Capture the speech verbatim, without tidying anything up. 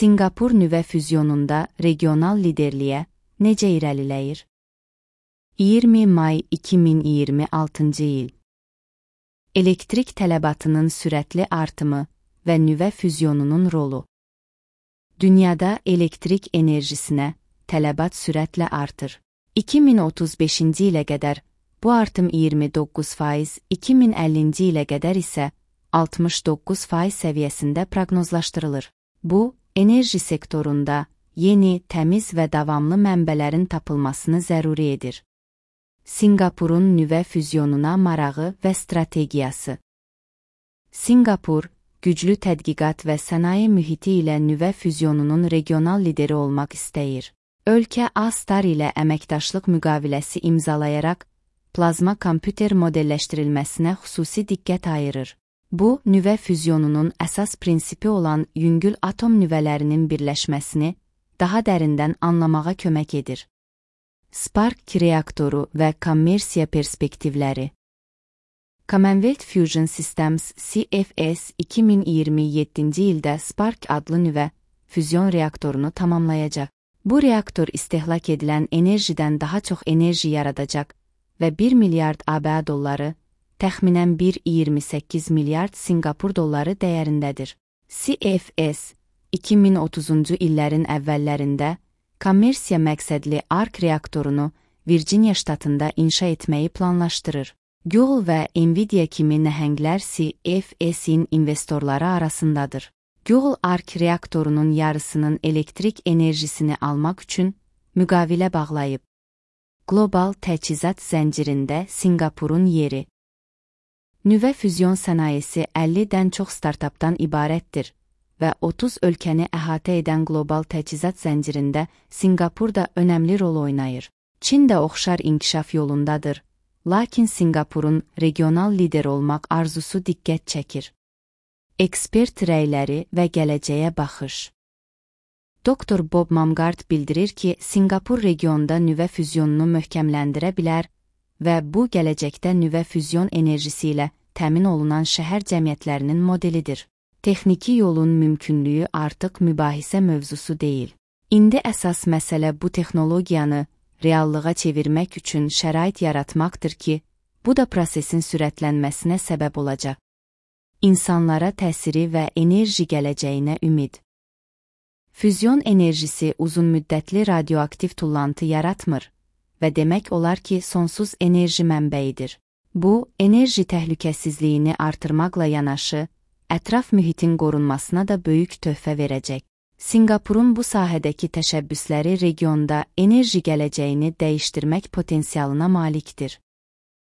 Sinqapur nüvə füzyonunda regional liderliyə necə irəliləyir? iyirmi may iki min iyirmi altıncı il. Elektrik tələbatının sürətli artımı və nüvə füzyonunun rolu. Dünyada elektrik enerjisinə tələbat sürətlə artır. iki min otuz beşinci ilə qədər bu artım iyirmi doqquz faiz, iki min əllinci ilə qədər isə altmış doqquz faiz səviyyəsində proqnozlaşdırılır. Bu, enerji sektorunda yeni, təmiz və davamlı mənbələrin tapılmasını zəruri edir. Sinqapurun nüvə füzyonuna marağı və strategiyası. Sinqapur, güclü tədqiqat və sənaye mühiti ilə nüvə füzyonunun regional lideri olmaq istəyir. Ölkə A-Star ilə əməkdaşlıq müqaviləsi imzalayaraq, plazma kompüter modelləşdirilməsinə xüsusi diqqət ayırır. Bu, nüvə füzyonunun əsas prinsipi olan yüngül atom nüvələrinin birləşməsini daha dərindən anlamağa kömək edir. Spark reaktoru və kommersiya perspektivləri. Commonwealth Fusion Systems C F S iki min iyirmi yeddinci ildə Spark adlı nüvə füzyon reaktorunu tamamlayacaq. Bu reaktor istehlak edilən enerjidən daha çox enerji yaradacaq və bir milyard A B A dolları, təxminən bir nöqtə iyirmi səkkiz milyard Sinqapur dolları dəyərindədir. C F S, iki min otuzuncu illərin əvvəllərində kommersiya məqsədli ARK reaktorunu Virginia ştatında inşa etməyi planlaşdırır. Google və Nvidia kimi nəhənglər C F S-in investorları arasındadır. Google ARK reaktorunun yarısının elektrik enerjisini almaq üçün müqavilə bağlayıb. Qlobal təchizat zəncirində Sinqapurun yeri. Nüvə füzyon sənayesi əllidən çox startapdan ibarətdir və otuz ölkəni əhatə edən qlobal təchizat zəncirində Sinqapur da önəmli rol oynayır. Çin də oxşar inkişaf yolundadır, lakin Sinqapurun regional lider olmaq arzusu diqqət çəkir. Ekspert rəyləri və gələcəyə baxış. Doktor Bob Mamgard bildirir ki, Sinqapur regionda nüvə füzyonunu möhkəmləndirə bilər və bu gələcəkdə nüvə füzyon enerjisi ilə təmin olunan şəhər cəmiyyətlərinin modelidir. Texniki yolun mümkünlüyü artıq mübahisə mövzusu deyil. İndi əsas məsələ bu texnologiyanı reallığa çevirmək üçün şərait yaratmaqdır ki, bu da prosesin sürətlənməsinə səbəb olacaq. İnsanlara təsiri və enerji gələcəyinə ümid. Füzyon enerjisi uzunmüddətli radioaktiv tullantı yaratmır və demək olar ki, sonsuz enerji mənbəyidir. Bu, enerji təhlükəsizliyini artırmaqla yanaşı, ətraf mühitin qorunmasına da böyük töhfə verəcək. Sinqapurun bu sahədəki təşəbbüsləri regionda enerji gələcəyini dəyişdirmək potensialına malikdir.